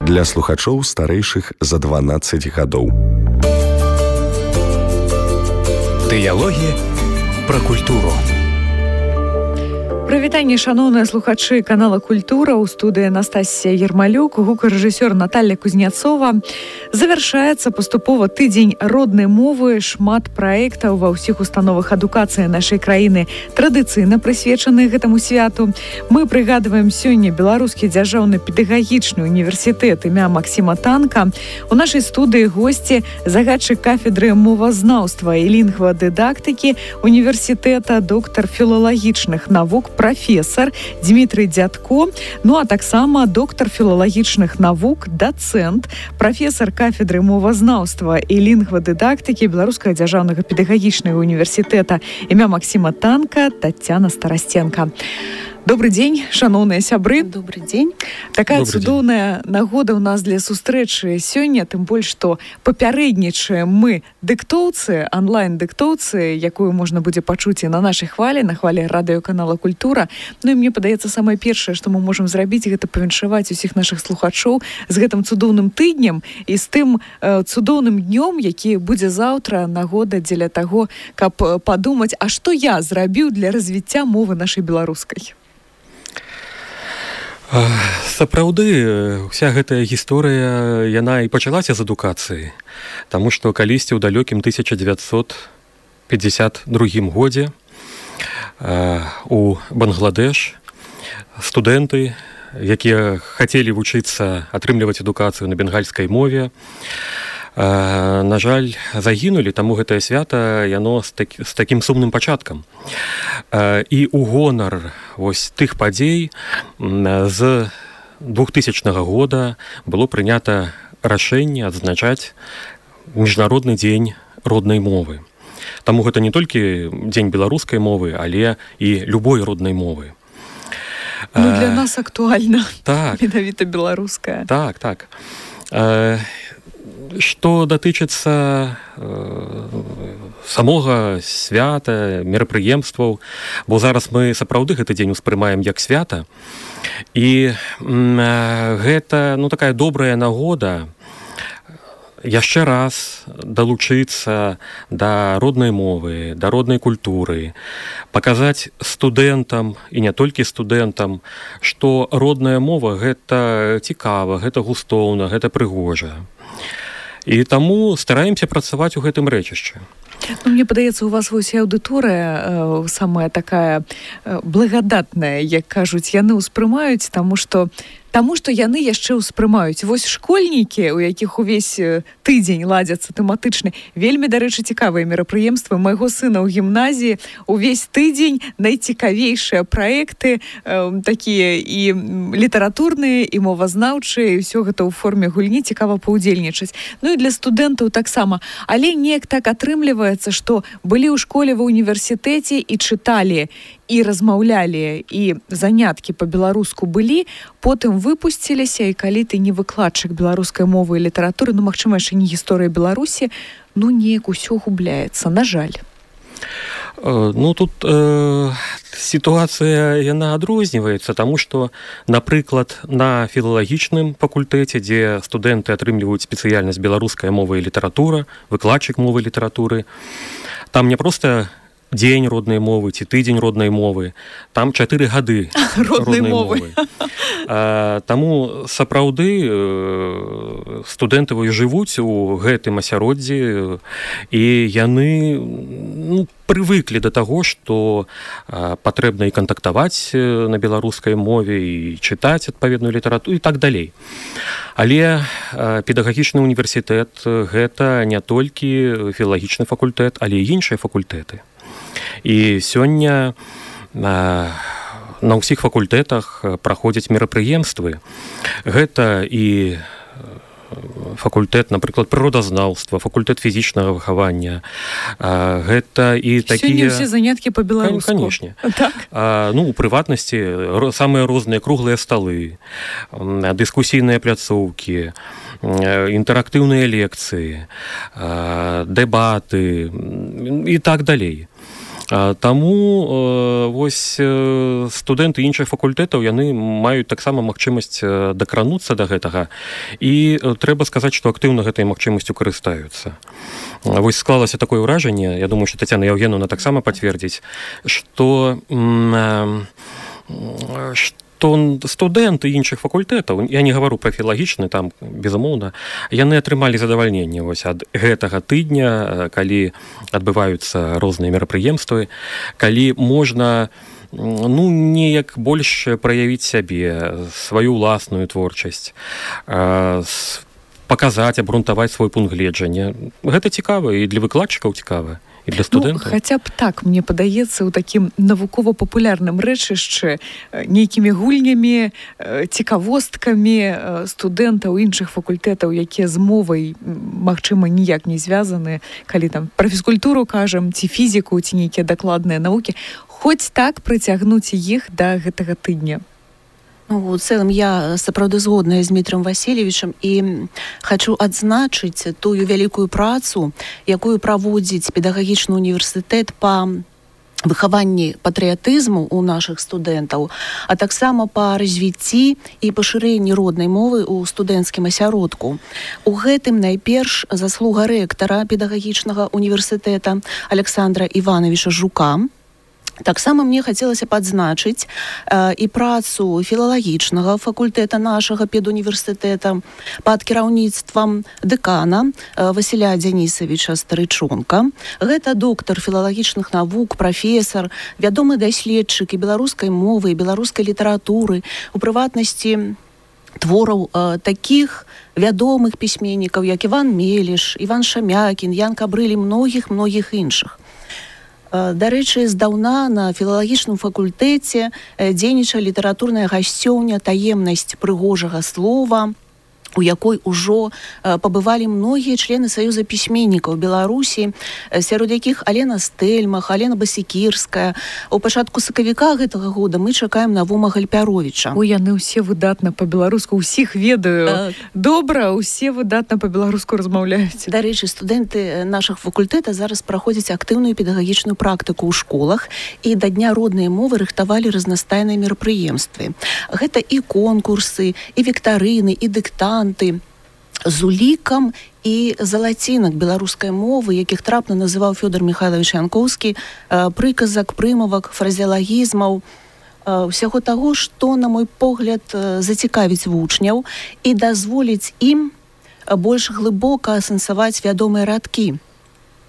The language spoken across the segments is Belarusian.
для слухачоў старэйшых за 12 гадоў. Дыялогі пра культуру. Прывітанне, шаноўныя слухачы канала «Культура». У студыі Анастасія Ермалюк, гукарэжысёр Наталья Кузнецова. Завяршаецца паступова тыдзень роднай мовы. Шмат праектаў ва ўсіх установах адукацыі нашай краіны традыцыйна прысвечаны гэтаму святу. Мы прыгадваем сёння Беларускі дзяржаўны педагагічны універсітэт імя Максіма Танка. У нашай студыі госці загадчык кафедры мовазнаўства і лінгвадыдактыкі універсітэта, доктар філалагічных навук, прафесор Дмітрый Дзядко, ну а таксама доктар філалагічных навук, дацэнт, прафесор кафедры мовазнаўства і лінгвадыдактыкі Беларускага дзяржаўнага педагагічнага універсітэта імя Максіма Танка Таццяна Старасценка. Добрый дзень, шаноўныя сябры. Добрый дзень. Такая цудоўная нагода ў нас для сустрэчы сёння, тым больш, што папярэднічаем мы дыктоўцы, онлайн-дыктоўцы, якую можна будзе пачуць і на нашай хвалі, на хвалі радыёканала «Культура». Ну і мне падаецца, самае першае, што мы можам зрабіць, гэта павіншаваць усіх нашых слухачоў з гэтым цудоўным тыднем і з тым цудоўным днём, які будзе заўтра, нагода дзеля таго, каб падумаць, а што я зрабіў для развіцця мовы нашай беларускай. Сапраўды, вся гэтая гісторыя, яна і пачалася з адукацыі, таму што калісьці ў далёкім 1952 годзе у Бангладеш студэнты, якія хацелі вучыцца атрымліваць адукацыю на бенгальскай мове, на жаль, загінулі, таму гэтае свята яно з такім сумным пачаткам. І ў гонар вось тых падзей з 2000 года было прынята рашэнне адзначаць міжнародны дзень роднай мовы. Таму гэта не толькі дзень беларускай мовы, але і любой роднай мовы. Ну, для нас актуальна. Так. Менавіта беларуская. Так, так. Што датычыцца самога свята, мерапрыемстваў, бо зараз мы сапраўды гэты дзень успрымаем як свята, і гэта такая добрая нагода яшчэ раз далучыцца да роднай мовы, да роднай культуры, паказаць студэнтам і не толькі студэнтам, што родная мова гэта цікава, гэта густоўна, гэта прыгожа. І таму стараемся працаваць у гэтым рэчышчы. Ну, мне падаецца, у вас вось аўдыторыя самая такая благадатная, як кажуць, яны ўспрымаюць, таму што яны яшчэ ўспрымаюць. Вось школьнікі, у якіх увесь тыдзень ладзяцца тэматычны, вельмі, дарэчы, цікавыя мерапрыемствы. Майго сына ў гімназіі увесь тыдзень найцікавейшыя праекты, такія і літаратурныя, і мовазнаўчыя, і ўсё гэта ў форме гульні, цікава паўдзельнічаць. Ну і для студэнтаў таксама. Але неяк так атрымліваецца, што былі ў школе, ва ўніверсітэце і чыталі, і размаўлялі, і заняткі па-беларуску былі, потым выпусціліся, і калі ты не выкладчык беларускай мовы і літаратуры, магчыма, яшчэ не гісторыя Беларусі, неяк усё губляецца, на жаль. Тут сітуацыя, яна адрозніваецца, таму што, напрыклад, на філалагічным факультэце, дзе студэнты атрымліваюць спецыяльнасць беларуская мова і літаратура, выкладчык мовы і літаратуры, там не проста дзень роднай мовы ці тыдзень роднай мовы, там 4 гады роднай мовы. Таму сапраўды студэнты жывуць у гэтым асяроддзі, і яны прывыклі да таго, што патрэбна і кантактаваць на беларускай мове, і чытаць адпаведную літаратуру і так далей. Але педагагічны універсітэт гэта не толькі філалагічны факультэт, але і іншыя факультэты. І сёння на ўсіх факультэтах праходзяць мерапрыемствы. Гэта і факультэт, напрыклад, прыродазнаўства, факультэт фізічнага выхавання. Гэта і такія... Сёння ўсе заняткі па-беларуску. Канечне. Так. У прыватнасці самыя розныя круглыя сталы, дыскусійныя пляцоўкі, інтэрактыўныя лекцыі, дэбаты і так далей. Таму вось студэнты іншых факультэтаў яны маюць таксама магчымасць дакрануцца да гэтага, і трэба сказаць, што актыўна гэтай магчымасцю карыстаюцца. Вось склалася такое ўражанне, я думаю, што Тацяна Яўгенаўна таксама пацвердзіць, што студэнты іншых факультэтаў, я не гавару пра філалагічны, там, безумоўна, яны атрымалі задавальненне вось ад гэтага тыдня, калі адбываюцца розныя мерапрыемствы, калі можна неяк больш праявіць сябе, сваю ўласную творчасць, паказаць, абгрунтаваць свой пункт гледжання. Гэта цікава, і для выкладчыкаў цікава, і для студэнтаў. Хаця б так, мне падаецца, у такім навукова-папулярным рэчышчы нейкімі гульнямі, цікавосткамі студэнтаў іншых факультэтаў, якія з мовай, магчыма, ніяк не звязаны, калі там пра фізкультуру кажам, ці фізіку, ці нейкія дакладныя навукі, хоць так прыцягнуць іх да гэтага тыдня. У цэлым я сапраўды згодная з Дмітром Васильевичем і хочу адзначыць тую вялікую працу, якую праводзіць педагагічны універсітэт па выхаванні патрыятызму ў нашых студэнтаў, а таксама па развіцці і пашырэнні роднай мовы ў студэнцкім асяродку. У гэтым найперш заслуга рэктара педагагічнага універсітэта Александра Івановича Жука. Таксама мне хацелася падзначыць і працу філалагічнага факультэта нашага педуніверсітэта пад кіраўніцтвам дэкана Васіля Дзянісавіча Старычонка. Гэта доктар філалагічных навук, прафесар, вядомы даследчык і беларускай мовы, і беларускай літаратуры, у прыватнасці твораў такіх вядомых пісьменнікаў, як Іван Меліш, Іван Шамякін, Ян Кабрыль і многіх іншых. Дарэчы, здаўна на філалагічным факультэце дзейнічае літаратурная гасцёўня «Таемнасць прыгожага слова», у якой ужо пабывалі многія члены Саюза пісьменнікаў Беларусі, сярод якіх Алена Стэльмах, Алена Басікірская. У пачатку сакавіка гэтага года мы чакаем Навума Гальпяровіча. Яны ўсе выдатна па-беларуску, усіх ведаю. Добра, усе выдатна па-беларуску размаўляюць. Дарэчы, студэнты нашых факультэта зараз праходзяць актыўную педагагічную практыку ў школах і да Дня роднай мовы рыхтавалі разнастайныя мерапрыемствы. Гэта і конкурсы, і віктарыны, і дыктанты, з улікам і залацінак беларускай мовы, якіх трапна называў Фёдор Михайлович Янкоўскі, прыказак, прымавак, фразеалагізмаў, усяго таго, што, на мой погляд, зацікавіць вучняў і дазволіць ім больш глыбока асэнсаваць вядомыя радкі.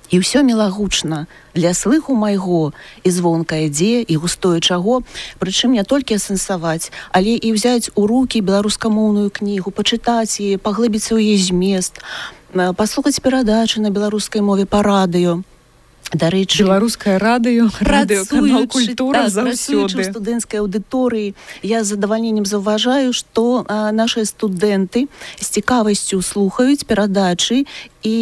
І ўсё мілагучна для слыху майго, і звонка ідзе, і густое чаго, прычым не толькі асэнсаваць, але і ўзяць у рукі беларускамоўную кнігу, пачытаць яе, паглыбіцца ў яе змест, паслухаць перадачы на беларускай мове па радыё. Дарэчы, беларускае радыё, радыёканал «Культура» заўсёды. У студэнцкай аўдыторыі я з задавальненнем заўважаю, што нашыя студэнты з цікавасцю слухаюць перадачы і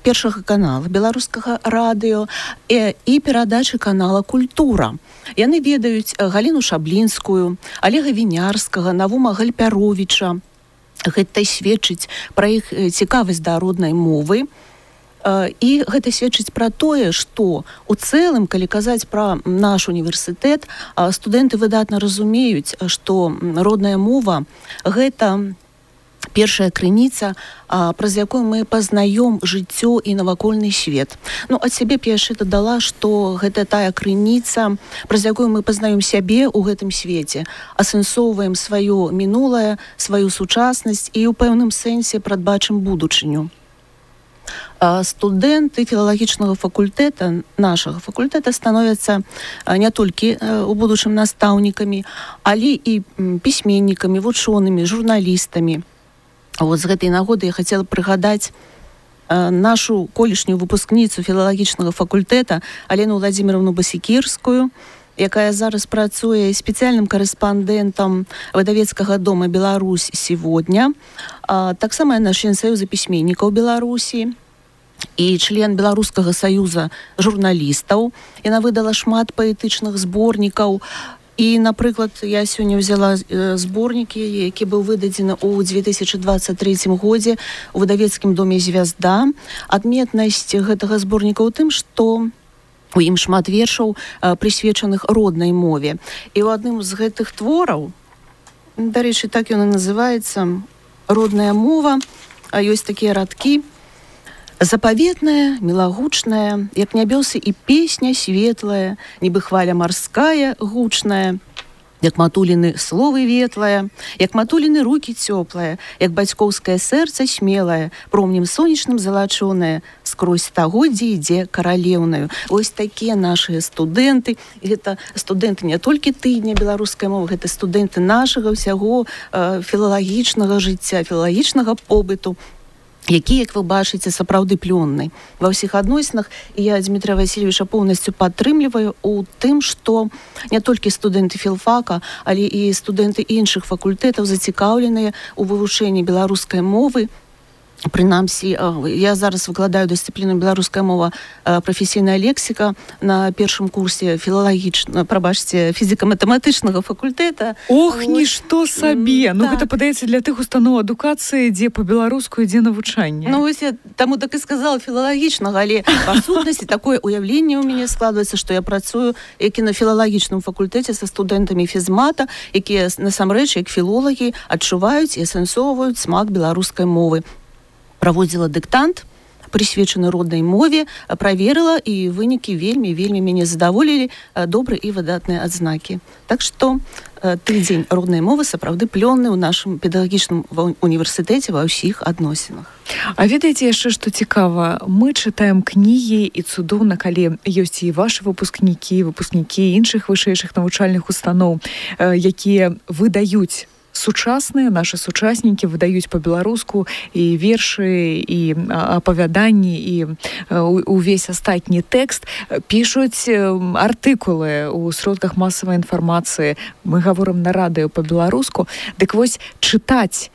першага канала беларускага радыё і перадачы канала «Культура». Яны ведаюць Галіну Шаблінскую, Олега Вінярскага, Навума Гальпяровіча. Гэта сведчыць пра іх цікавасць да роднай мовы. І гэта сведчыць пра тое, што у цэлым, калі казаць пра наш універсітэт, студэнты выдатна разумеюць, што родная мова – гэта першая крыніца, праз якую мы пазнаём жыццё і навакольны свет. Ад сябе б я яшчэ дадала, што гэта тая крыніца, праз якую мы пазнаём сябе ў гэтым свеце, асэнсоўваем сваё мінулае, сваю сучаснасць і ў пэўным сэнсе прадбачым будучыню. Студэнты філалагічнага факультэта, нашага факультэта, становяцца не толькі у будучым настаўнікамі, але і пісьменнікамі, вучонымі, журналістамі. З гэтай нагоды я хацела прыгадаць нашу колішнюю выпускніцу філалагічнага факультэта Алену Владимировну Басікірскую, якая зараз працуе спецыяльным карэспандэнтам выдавецкага дома «Беларусь сегодня». Таксама яна член Саюза пісьменнікаў Беларусі і член Беларускага саюза журналістаў. Яна выдала шмат паэтычных зборнікаў. І, напрыклад, я сёння ўзяла зборнікі, які быў выдадзены ў 2023 годзе у выдавецкім доме «Звязда». Адметнасць гэтага зборніка ў тым, што у ім шмат вершаў, прысвечаных роднай мове. І ў адным з гэтых твораў, дарэчы, так ён і называецца, «Родная мова», ёсць такія радкі: «Запаветная, мілагучная, як нябёсы і песня светлая, нібы хваля марская, гучная, як матуліны словы ветлая, як матуліны рукі цёплая, як бацькоўскае сэрца смелае, промнем сонечным залачонае, скрозь стагоддзі ідзе каралеўнаю». Вось такія нашыя студэнты. Гэта студэнты не толькі тыдня беларускай мовы, гэта студэнты нашага ўсяго філалагічнага жыцця, філалагічнага побыту, які, як вы бачыце, сапраўды плённы ва ўсіх адносінах. І я Дмітрия Васильевича поўнасцю падтрымліваю у тым, што не толькі студэнты філфака, але і студэнты іншых факультэтаў зацікаўленыя ў вывучэнні беларускай мовы. Прынамсі, я зараз выкладаю дысцыпліну беларуская мова, прафесійная лексіка на першым курсе фізіка-матэматычнага факультэта. Ох, нішто сабе! Ну, гэта падаецца для тых устаноў адукацыі, дзе па-беларуску ідзе навучанне. Ну, вось я таму так і сказала філалагічнага, але па сутнасці такое ўяўленне ў мяне складваецца, што я працую як і на філалагічным факультэце са студэнтамі фізмата, якія насамрэч, як філолагі, адчуваюць і асэнсоўваюць смак беларускай мовы. Праводзіла дыктант, прысвечаны роднай мове, праверыла, і вынікі вельмі мяне задаволілі, добрыя і выдатныя адзнакі. Так што тыдзень роднай мовы сапраўды плённы ў нашым педагагічным універсітэце ва ўсіх адносінах. А ведаеце яшчэ, што цікава? Мы чытаем кнігі, і цудоўна, калі ёсць і вашы выпускнікі іншых вышэйшых навучальных устаноў, якія выдаюць сучасныя, нашы сучаснікі выдаюць па-беларуску і вершы, і апавяданні, і увесь астатні тэкст, пішуць артыкулы ў сродках масавай інфармацыі. Мы гаворым на радыё па-беларуску. Дык вось чытаць,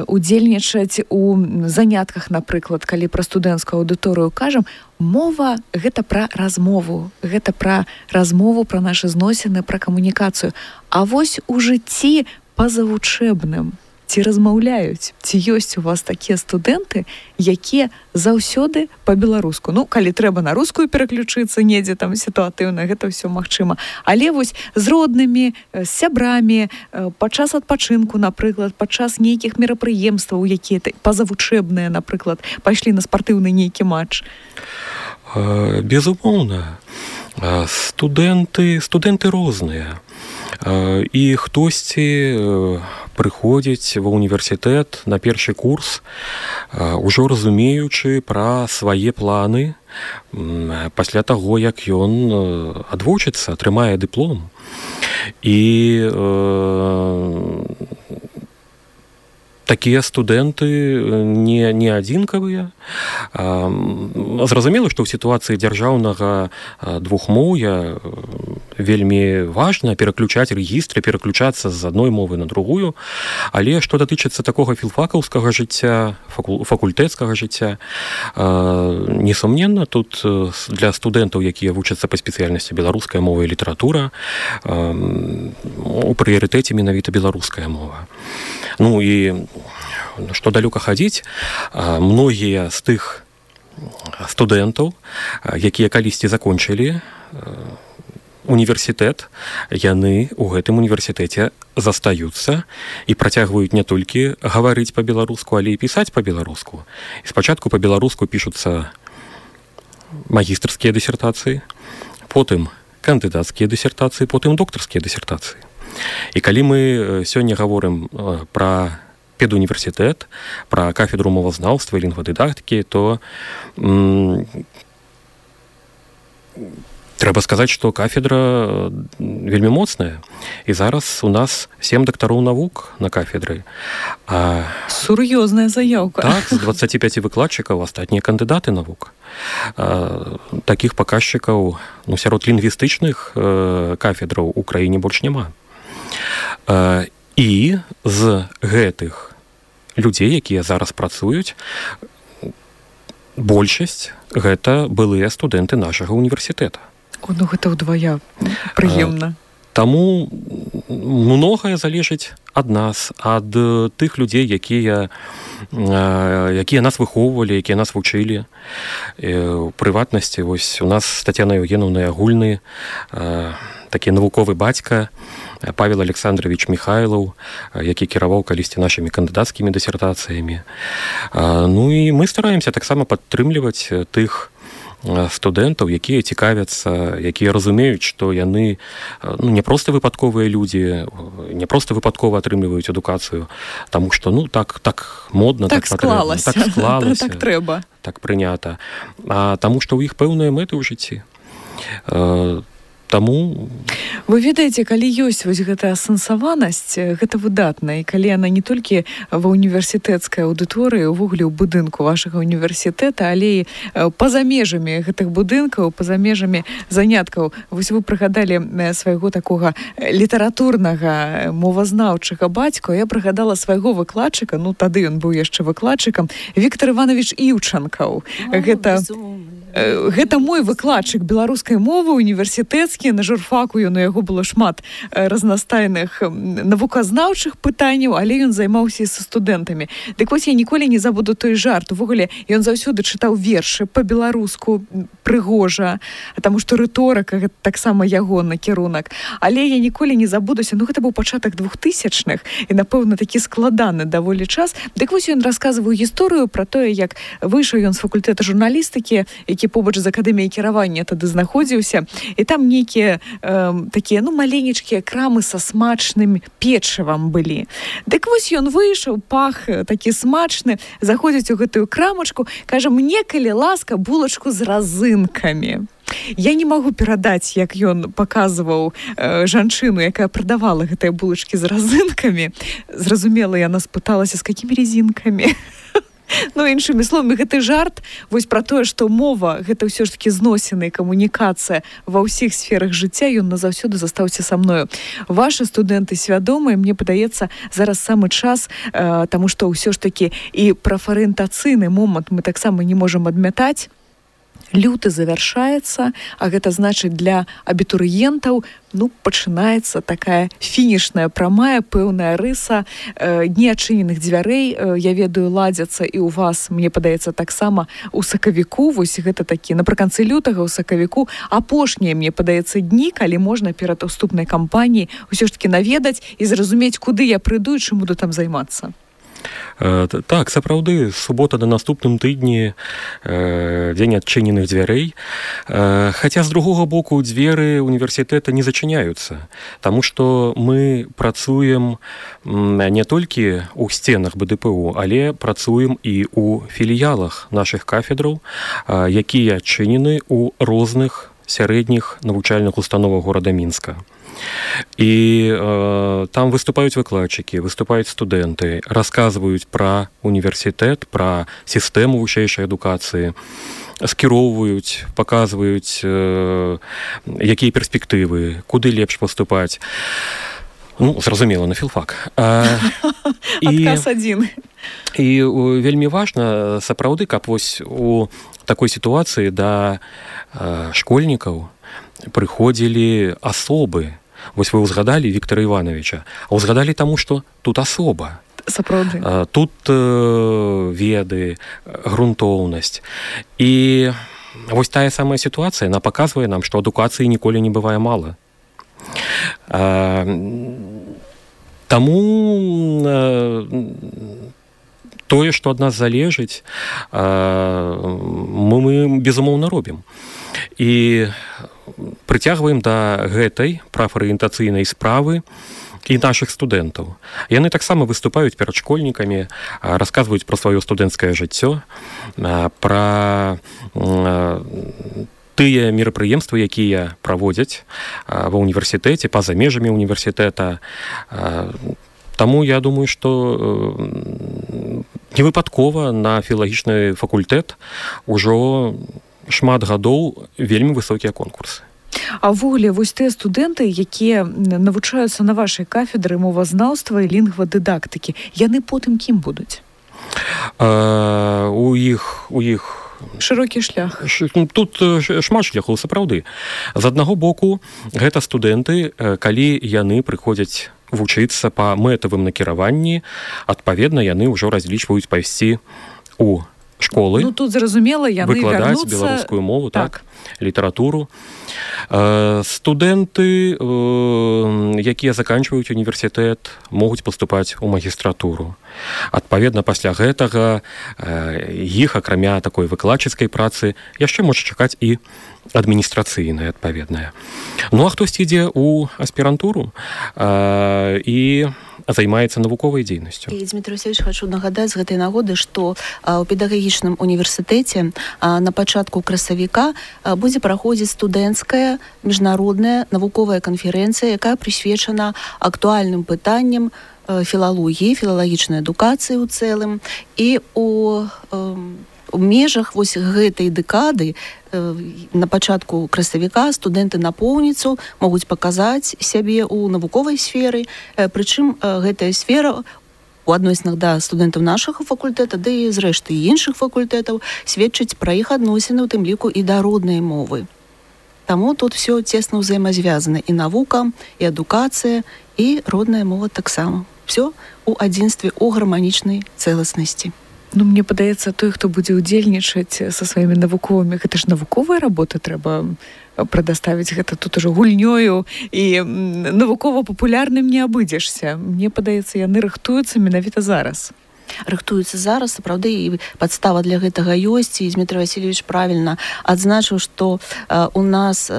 удзельнічаць у занятках, напрыклад, калі пра студэнцкую аўдыторыю кажам, мова — гэта пра размову, гэта пра размову, пра нашы зносіны, пра камунікацыю. А вось у жыцці пазавучэбным ці размаўляюць, ці ёсць у вас такія студэнты, якія заўсёды па-беларуску? Ну, калі трэба на рускую пераключыцца недзе там сітуатыўна, гэта ўсё магчыма. Але вось з роднымі, з сябрамі, падчас адпачынку, напрыклад, падчас нейкіх мерапрыемстваў, якія пазавучэбныя, напрыклад, пайшлі на спартыўны нейкі матч. Безумоўна. Студэнты розныя. І хтосьці прыходзіць ва ўніверсітэт на першы курс, ужо разумеючы пра свае планы пасля таго, як ён адвучыцца, атрымае дыплом. І такія студэнты не адзінкавыя. Зразумела, што ў сітуацыі дзяржаўнага двухмоўя вельмі важна пераключаць рэгістры, пераключацца з адной мовы на другую, але што датычыцца такога філфакаўскага жыцця, факультэцкага жыцця, несумненна, тут для студэнтаў, якія вучацца па спецыяльнасці беларуская мова і літаратура, у прыярытэце менавіта беларуская мова. Ну і што далёка хадзіць, многія з тых студэнтаў, якія калісьці закончылі універсітэт, яны ў гэтым універсітэце застаюцца і працягваюць не толькі гаварыць па-беларуску, але і пісаць па-беларуску. І спачатку па-беларуску пішуцца магістрскія дысертацыі, потым кандыдацкія дысертацыі, потым доктарскія дысертацыі. І калі мы сёння гаворым пра педуніверсітэт, пра кафедру мовазнаўства і лінгвадыдактыкі, то трэба сказаць, што кафедра вельмі моцная. І зараз у нас 7 дактароў навук на кафедры. Сур'ёзная заяўка. Так, з 25 выкладчыкаў астатнія кандыдаты навук. Такіх паказчыкаў сярод лінгвістычных кафедраў у краіне больш няма. І з гэтых людзей, якія зараз працуюць, большасць гэта былыя студэнты нашага універсітэта. Ну гэта ўдвая прыемна. Таму многае залежыць ад нас, ад тых людзей, якія нас выхоўвалі, якія нас вучылі. У прыватнасці, вось у нас з Тацянай Еўгенаўнай агульны такі навуковы бацька Павел Александрович Михайлов, які кіраваў калісьці нашымі кандыдацкімі дысертацыямі. Ну і мы стараемся таксама падтрымліваць тых студэнтаў, якія цікавяцца, якія разумеюць, што яны не проста выпадковыя людзі, не проста выпадкова атрымліваюць адукацыю, таму што так модна, так склалася, так трэба, так прынята, а таму што ў іх пэўныя мэты ў жыцці. Таму вы ведаеце, калі ёсць вось гэтая асэнсаванасць, гэта выдатна, і калі яна не толькі ва універсітэцкай аўдыторыі, увогуле ў будынку вашага універсітэта, але і па-за межамі гэтых будынкаў, па-за межамі заняткаў. Вось вы прыгадалі свайго такога літаратурнага мовазнаўчага бацьку, я прыгадала свайго выкладчыка, тады ён быў яшчэ выкладчыкам, Віктор Іванович Іўчанкаў. Гэта мой выкладчык беларускай мовы універсітэцкі, на журфаку у яго было шмат разнастайных навуказнаўчых пытанняў, але ён займаўся са студэнтамі. Дык вось я ніколі не забуду той жарт. Увогуле ён заўсёды чытаў вершы па-беларуску прыгожа, таму што рыторыка гэта таксама ягоны кірунак. Але я ніколі не забудуся, гэта быў пачатак 2000-х і, напэўна, такі складаны даволі час. Дык вось ён расказваў гісторыю пра тое, як выйшаў ён з факультэта журналістыкі, які побач з акадэміяй кіравання тады знаходзіўся, і там нейкія такія, маленечкія крамы са смачным печывам былі. Дык вось ён выйшаў, пах такі смачны, заходзіць у гэтую крамачку, кажа: «Мне, калі ласка, булачку з разынкамі». Я не магу перадаць, як ён паказваў жанчыну, якая прадавала гэтыя булачкі з разынкамі. Зразумела, яна спыталася, з какімі резінкамі. Іншымі словамі, гэты жарт вось пра тое, што мова гэта ўсё ж такі зносіна і камунікацыя ва ўсіх сферах жыцця, ён назаўсёды застаўся са мною. Вашы студэнты свядомыя, мне падаецца, зараз самы час, таму што ўсё ж такі і прафарыентацыйны момант мы таксама не можам адмятаць. Люты завяршаецца, а гэта значыць для абітурыентаў пачынаецца такая фінішная прамая, пэўная рыса, дні адчыненых дзвярэй, я ведаю, ладзяцца і ў вас, мне падаецца, таксама у сакавіку, вось гэта такі напрыканцы лютага ў сакавіку, апошнія, мне падаецца, дні, калі можна перад уступнай кампаніяй усё ж такі наведаць і зразумець, куды я прыйду і чым буду там займацца. Так, сапраўды, субота на наступным тыдні, дзень адчыненых дзвярэй. Хаця, з другога боку, дзверы універсітэта не зачыняюцца, таму што мы працуем не толькі ў сценах БДПУ, але працуем і ў філіялах нашых кафедраў, якія адчынены ў розных сярэдніх навучальных установах горада Мінска. І там выступаюць выкладчыкі, выступаюць студэнты, расказваюць пра універсітэт, пра сістэму вышэйшай адукацыі, скіроўваюць, паказваюць, якія перспектывы, куды лепш паступаць. Зразумела, на філфак. Адказ адзін. І вельмі важна, сапраўды, каб вось у такой сітуацыі да школьнікаў прыходзілі асобы. Вось вы ўзгадалі Віктора Івановича, а ўзгадалі таму, што тут асоба. Сапраўды. Тут веды, грунтоўнасць. І вось тая самая сітуацыя, яна паказвае нам, што адукацыі ніколі не бывае мала. Таму тое, што ад нас залежыць, мы безумоўна робім. І прыцягваем да гэтай прафарыентацыйнай справы і нашых студэнтаў. Яны таксама выступаюць перад школьнікамі, расказваюць пра сваё студэнцкае жыццё, пра тыя мерапрыемствы, якія праводзяць ва ўніверсітэце, па-за межамі універсітэта. Таму я думаю, што невыпадкова на філалагічны факультэт ужо шмат гадоў вельмі высокія конкурсы. А ўвогуле, вось тыя студэнты, якія навучаюцца на вашай кафедры мовазнаўства і лінгвадыдактыкі, яны потым кім будуць? У іх Шырокі шлях. Тут шмат шляхоў, сапраўды. З аднаго боку, гэта студэнты, калі яны прыходзяць вучыцца па мэтавым накіраванні, адпаведна, яны ўжо разлічваюць пайсці ў школы. Ну, тут зразумела, яны выкладаць вярнуцца... беларускую мову, так, літаратуру. Студэнты, якія заканчваюць універсітэт, могуць паступаць у магістратуру. Адпаведна, пасля гэтага іх, акрамя такой выкладчыцкай працы, яшчэ можа чакаць і адміністрацыйная адпаведная. Ну, а хтось ідзе ў аспірантуру і займаецца навуковай дзейнасцю. І, Дмітрий Васильевич, хочу нагадаць з гэтай нагоды, што ў педагагічным універсітэце на пачатку красавіка будзе праходзіць студэнцкая міжнародная навуковая канферэнцыя, якая прысвечана актуальным пытанням філалогіі, філалагічнай адукацыі ў цэлым. І у межах вось гэтай дэкады на пачатку красавіка студэнты напоўніцу могуць паказаць сябе ў навуковай сферы, прычым гэтая сфера у адносінах да студэнтаў нашага факультэта, да і зрэшты іншых факультэтаў сведчыць пра іх адносіны, у тым ліку і да роднай мовы. Таму тут все цесна ўзаемазвязана, і навука, і адукацыя, і родная мова таксама. Все у адзінстве, у гарманічнай цэласнасці. Ну, мне падаецца, той, хто будзе ўдзельнічаць са сваімі навуковымі, гэта ж навуковыя работы трэба прадаставіць, гэта тут ужо гульнёю і навукова-папулярным не абыдзешся. Мне падаецца, яны рыхтуюцца менавіта зараз. Рыхтуюцца зараз, сапраўды, і падстава для гэтага ёсць, і Дмітрий Васильевич правільна адзначыў, што у нас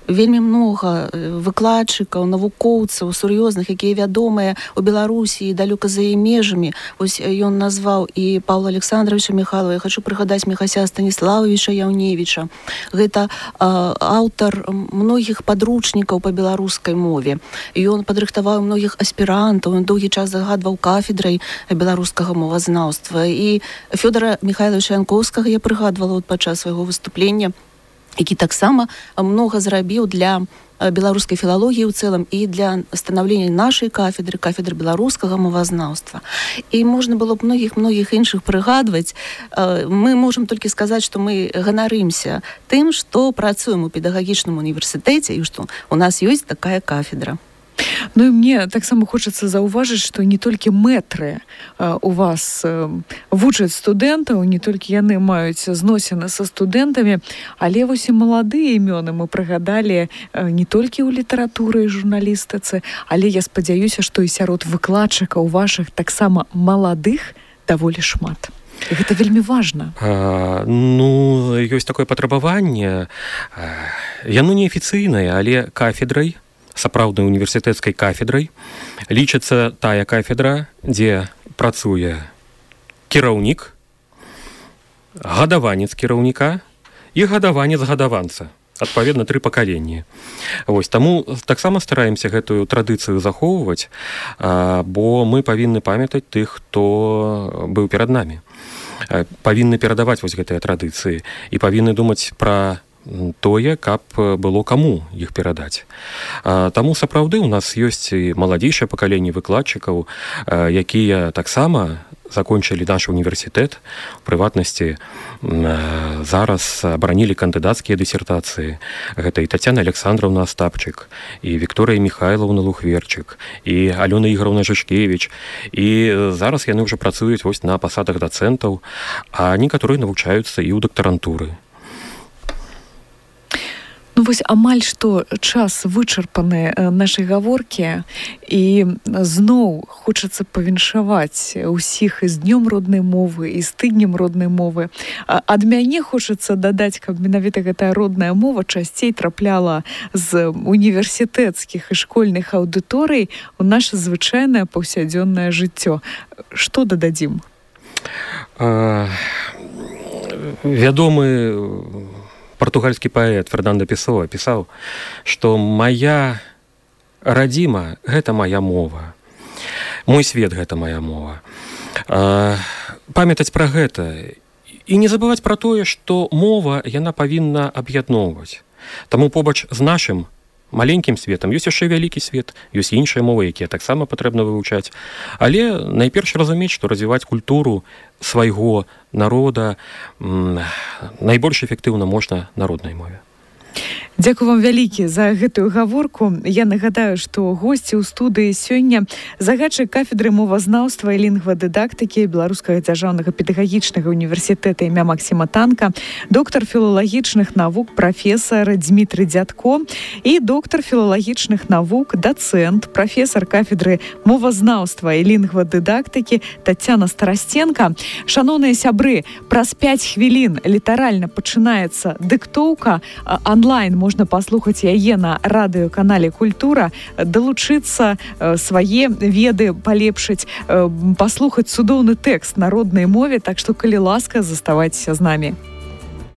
вельмі много выкладчыкаў, навукоўцаў сур'ёзных, якія вядомыя ў Беларусі і далёка за яе межамі. Вось ён назваў і Паўла Александровича Михайлова, я хочу прыгадаць Михася Станіславовича Яўневіча. Гэта аўтар многіх падручнікаў па беларускай мове. Ён падрыхтаваў многіх аспірантаў, ён доўгі час загадваў кафедрай беларускага мовазнаўства. І Фёдора Михайловича Янковскага я прыгадвала падчас свайго выступлення, які таксама много зрабіў для беларускай філалогіі ў цэлым і для станаўлення нашай кафедры беларускага мовазнаўства. І можна было б многіх іншых прыгадваць. Мы можам толькі сказаць, што мы ганарымся тым, што працуем у педагагічным універсітэце і што у нас ёсць такая кафедра. Ну і мне таксама хочацца заўважыць, што не толькі мэтры у вас вучаць студэнтаў, не толькі яны маюць зносіны са студэнтамі, але вось і маладыя імёны мы прыгадалі не толькі ў літаратуры і журналістыцы, але я спадзяюся, што і сярод выкладчыкаў вашых таксама маладых даволі шмат. І гэта вельмі важна. Ну, ёсць такое патрабаванне. Яно неафіцыйнае, але кафедрай, сапраўднай універсітэцкай кафедрай, лічыцца тая кафедра, дзе працуе кіраўнік, гадаванец кіраўніка і гадаванец гадаванца. Адпаведна, 3 пакаленні. Вось, таму таксама стараемся гэтую традыцыю захоўваць, бо мы павінны памятаць тых, хто быў перад намі. Павінны перадаваць вось гэтыя традыцыі і павінны думаць пра тое, каб было каму іх перадаць. Таму сапраўды у нас ёсць і маладзейшае пакаленне выкладчыкаў, якія таксама закончылі наш універсітэт, у прыватнасці зараз абаранілі кандыдацкія дысертацыі. Гэта і Тацяна Александровна Астапчык, і Вікторыя Михайловна Лухверчык, і Алёна Ігоровна Жышкевіч. І зараз яны ўжо працуюць вось на пасадах дацэнтаў, а некаторыя навучаюцца і ў дактарантуры. Ну вось амаль што час вычарпаны нашай гаворкі, і зноў хочацца павіншаваць усіх і з днём роднай мовы, і з тыднем роднай мовы. Ад мяне хочацца дадаць, каб менавіта гэтая родная мова часцей трапляла з універсітэцкіх і школьных аўдыторый у наша звычайнае паўсядзённае жыццё. Што дададзім? Вядомы партугальскі паэт Фернандо Песоа пісаў, што «Моя радзіма – гэта моя мова. Мой свет – гэта моя мова». Памятаць пра гэта і не забываць пра тое, што мова яна павінна аб'ядноўваць. Таму побач з нашым маленькім светам, ёсць яшчэ вялікі свет, ёсць іншыя мовы, якія таксама патрэбна вывучаць. Але найперш разумець, што развіваць культуру свайго народа найбольш эфектыўна можна на роднай мове. Дзякую вам вялікі за гэтую гаворку. Я нагадаю, што госці ў студыі сёння загадчык кафедры мовазнаўства і лінгвадыдактыкі Беларускага дзяржаўнага педагагічнага універсітэта імя Максіма Танка, доктар філалагічных навук прафесар Дмітрый Дзядко і доктар філалагічных навук, дацэнт, прафесар кафедры мовазнаўства і лінгвадыдактыкі Тацяна Старастенка. Шаноўныя сябры, праз 5 хвілін літаральна пачынаецца дыктоўка онлайн. Можна паслухаць яе на радыёканале «Культура», далучыцца, свае веды палепшыць, паслухаць цудоўны тэкст на роднай мове, так што, калі ласка, заставайцеся з намі.